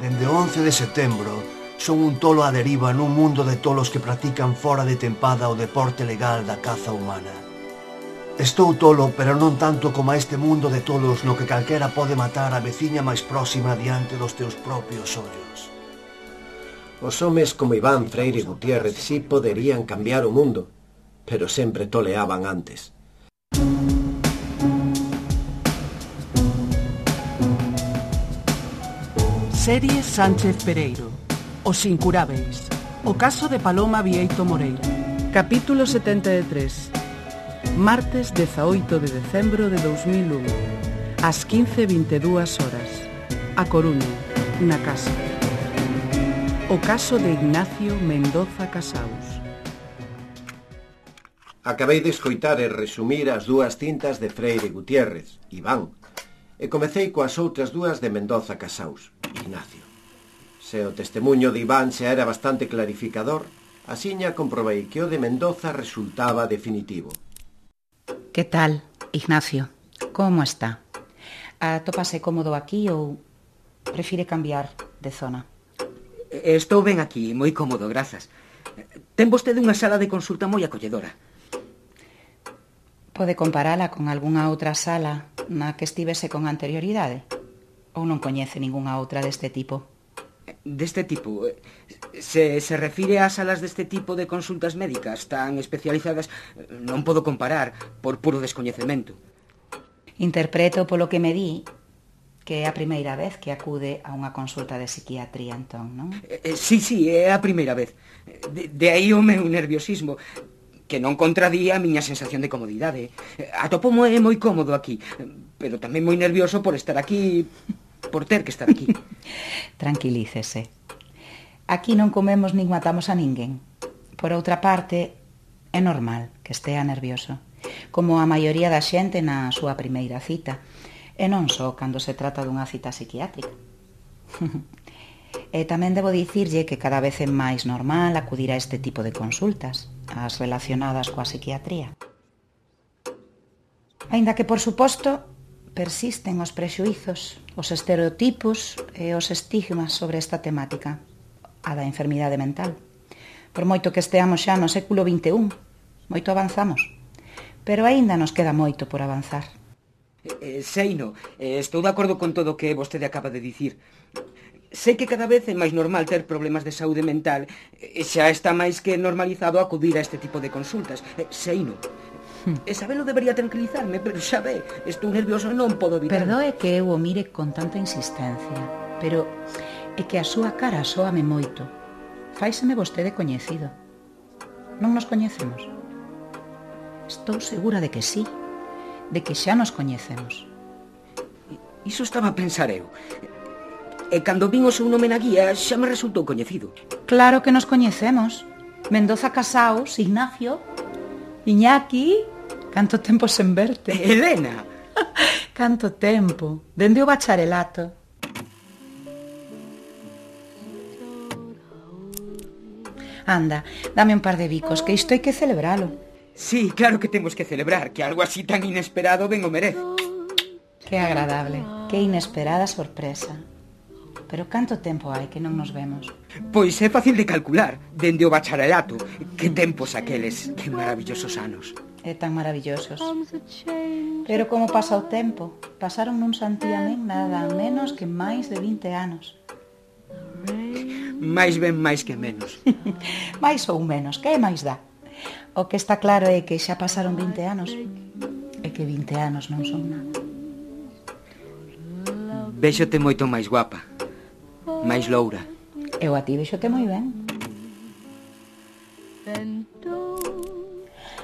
Dende o 11 de setembro, son un tolo á deriva nun mundo de tolos que practican fora de tempada o deporte legal da caza humana. Estou tolo, pero non tanto como a este mundo de tolos no que calquera pode matar a veciña máis próxima diante dos teus propios ollos. Os homes como Iván Freire Gutiérrez sí poderían cambiar o mundo, pero sempre toleaban antes. Serie Sánchez Pereiro. Os incurábeis. O caso de Paloma Vieito Moreira. Capítulo 73. Martes 18 de decembro de 2001. Ás 15:22 horas. A Coruña, na casa. O caso de Ignacio Mendoza Casaus. Acabei de escoitar e resumir as dúas cintas de Freire Gutiérrez, Iván, e comecei coas outras dúas de Mendoza Casaus, Ignacio. Se o testemuño de Iván xa era bastante clarificador, asiña comprobei que o de Mendoza resultaba definitivo. Que tal, Ignacio? Como está? Atópase cómodo aquí ou prefire cambiar de zona? Estou ben aquí, moi cómodo, grazas. Ten vostede unha sala de consulta moi acolledora. Pode comparala con algunha outra sala na que estivese con anterioridade? Ou non coñece ningunha outra deste tipo? Deste tipo? Se refire ás salas deste tipo de consultas médicas tan especializadas, non podo comparar por puro descoñecemento. Interpreto polo que me di que é a primeira vez que acude a unha consulta de psiquiatría, entón, non? Sí, é a primeira vez. De aí o meu nerviosismo, que non contradía a miña sensación de comodidade. Atopomo moi cómodo aquí, pero tamén moi nervioso por estar aquí, por ter que estar aquí. Tranquilícese. Aquí non comemos nin matamos a ninguén. Por outra parte, é normal que estea nervioso, como a maioría da xente na súa primeira cita, e non só cando se trata dunha cita psiquiátrica. E tamén debo dicirlle que cada vez é máis normal acudir a este tipo de consultas, as relacionadas coa psiquiatría. Aínda que, por suposto, persisten os prexuízos, os estereotipos e os estigmas sobre esta temática, a da enfermidade mental. Por moito que esteamos xa no século XXI, moito avanzamos, pero aínda nos queda moito por avanzar. Seino, estou de acordo con todo o que vostede acaba de dicir. Sei que cada vez é máis normal ter problemas de saúde mental e xa está máis que normalizado acudir a este tipo de consultas. Seino, e sabelo debería tranquilizarme, pero xa ve, estou nervioso e non podo evitar. Perdoe que eu o mire con tanta insistencia, pero é que a súa cara soame moito. Fáiseme vostede coñecido. Non nos coñecemos? Estou segura de que sí, de que xa nos coñecemos. Iso estaba a pensar eu. E cando vin o seu nome na guía xa me resultou coñecido. Claro que nos coñecemos. Mendoza Casaus, Ignacio, Iñaki, canto tempo sen verte. Elena! Canto tempo, dende o bacharelato. Anda, dame un par de bicos, que isto hai que celebralo. Sí, claro que temos que celebrar, que algo así tan inesperado ben o merece. Que agradable, que inesperada sorpresa. Pero canto tempo hai que non nos vemos? Pois é fácil de calcular, dende o bacharelato. Que tempos aqueles, que maravillosos anos. É tan maravillosos. Pero como pasa o tempo? Pasaron nun santiamén nada menos que máis de 20 anos. Máis ben máis que menos. Máis ou menos, que máis dá? O que está claro é que xa pasaron 20 anos e que 20 anos non son nada. Véxote moito máis guapa, máis loura. Eu a ti véxote moi ben.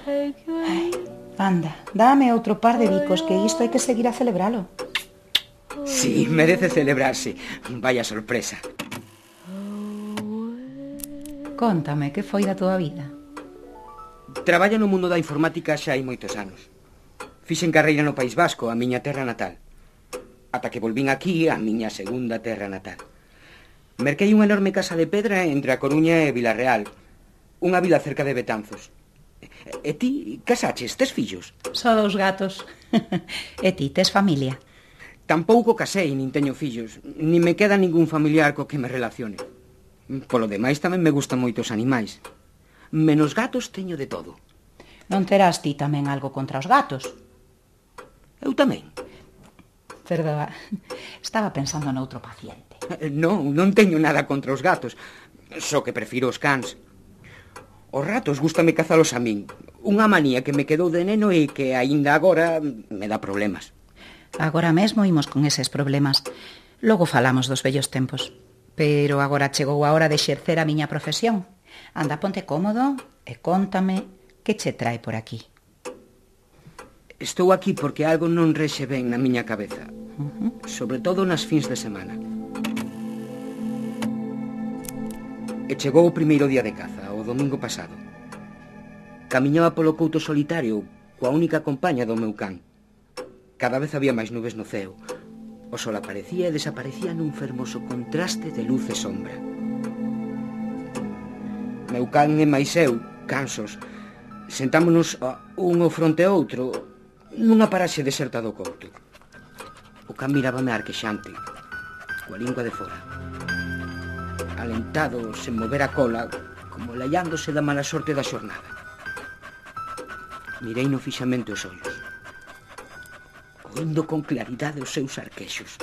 Ai, anda, dame outro par de bicos, que isto hai que seguir a celebralo. Sí, merece celebrarse. Vaya sorpresa. Cóntame, que foi da tua vida? Traballo no mundo da informática xa hai moitos anos. Fixen carreira no País Vasco, a miña terra natal. Ata que volvín aquí, a miña segunda terra natal. Merquei unha enorme casa de pedra entre a Coruña e Vilarreal, unha vila cerca de Betanzos. E ti, casaches, tes fillos? Só 2 gatos. E ti, tes familia? Tampouco casei, nin teño fillos, nin me queda ningún familiar co que me relacione. Polo demais tamén me gustan moito os animais. Menos gatos teño de todo. Non terás ti tamén algo contra os gatos? Eu tamén. Perdoa, estaba pensando noutro paciente. Non teño nada contra os gatos, só que prefiro os cans. Os ratos gústame cazalos a min. Unha manía que me quedou de neno e que aínda agora me dá problemas. Agora mesmo imos con eses problemas. Logo falamos dos vellos tempos. Pero agora chegou a hora de exercer a miña profesión. Anda, ponte cómodo e cóntame que che trae por aquí. Estou aquí porque algo non rexe ben na miña cabeza. Sobre todo nas fins de semana. E chegou o primeiro día de caza, o domingo pasado. Camiñaba polo couto solitario coa única compaña do meu can. Cada vez había máis nubes no ceo. O sol aparecía e desaparecía nun fermoso contraste de luz e sombra. Meu can e máis eu, cansos, sentámonos un ao fronte a outro nunha paraxe deserta do couto. O can mirábame arquexante, coa lingua de fora. Alentado, sen mover a cola, como laiándose da mala sorte da xornada. Mireino fixamente os ollos, oindo con claridade os seus arquexos.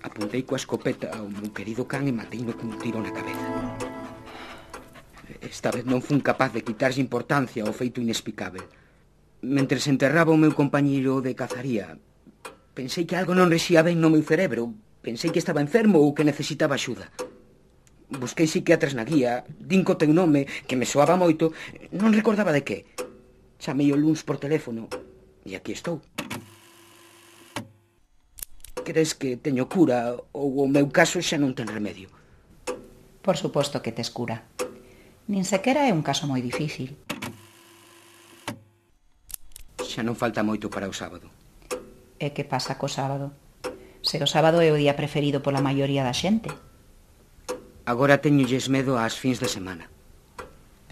Apuntei coa escopeta ao meu querido can e mateino cun tiro na cabeza. Esta vez non fun capaz de quitarlle importancia ao feito inexplicável. Mentres enterraba o meu compañeiro de cazaría, pensei que algo non rexía ben no meu cerebro. Pensei que estaba enfermo ou que necesitaba axuda. Busquei psiquiatras na guía, din co teu nome, que me soaba moito, non recordaba de que. Chamei o luns por teléfono e aquí estou. Crees que teño cura ou o meu caso xa non ten remedio? Por suposto que tes cura. Nin sequera é un caso moi difícil. Xa non falta moito para o sábado. E que pasa co sábado? Se o sábado é o día preferido pola maioría da xente. Agora teñolles medo ás fins de semana.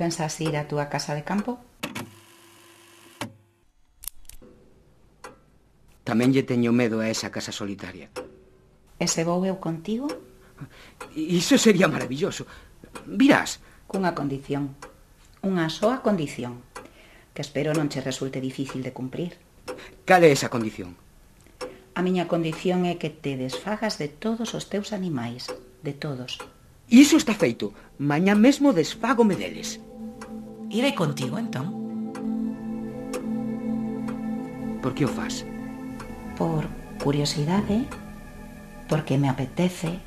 Pensas ir á túa casa de campo? Tamén lle teño medo a esa casa solitaria. E se vou eu contigo? Iso sería maravilloso. Virás. Cunha condición. Unha soa condición. Que espero non che resulte difícil de cumprir. Cal é esa condición? A miña condición é que te desfagas de todos os teus animais. De todos. Iso está feito. Mañá mesmo desfágome deles. Irei contigo, entón. Por que o fas? Por curiosidade, porque me apetece,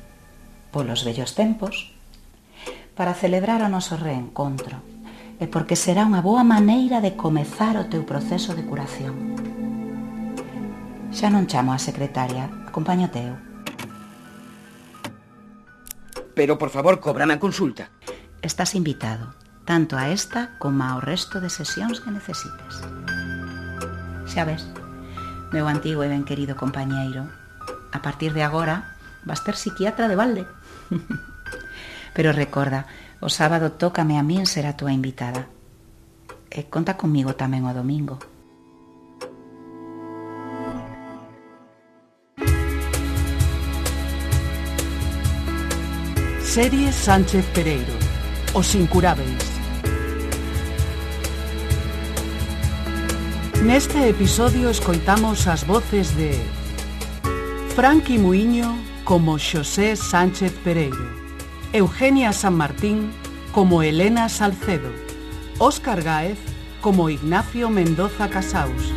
polos vellos tempos, para celebrar o noso reencontro, e porque será unha boa maneira de comezar o teu proceso de curación. Xa non chamo a secretaria, acompáñate eu. Pero, por favor, cóbrame a consulta. Estás invitado, tanto a esta como ao resto de sesións que necesites. Xa ves, meu antigo e ben querido compañeiro, a partir de agora vas ter psiquiatra de balde. Pero recorda, o sábado tócame a min ser a túa invitada. E conta comigo tamén o domingo. Serie Sánchez Pereiro, Os Incurábeis. Neste episodio escoitamos as voces de Franqui Muiño como Xosé Sánchez Pereiro, Eugenia San Martín como Elena Salcedo, Óscar Gáez como Ignacio Mendoza Casaus.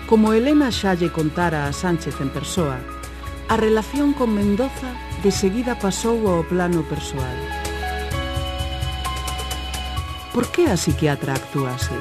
Como Elena xa lle contara a Sánchez en persoa, a relación con Mendoza de seguida pasou ao plano persoal. Por que a psiquiatra actúa así?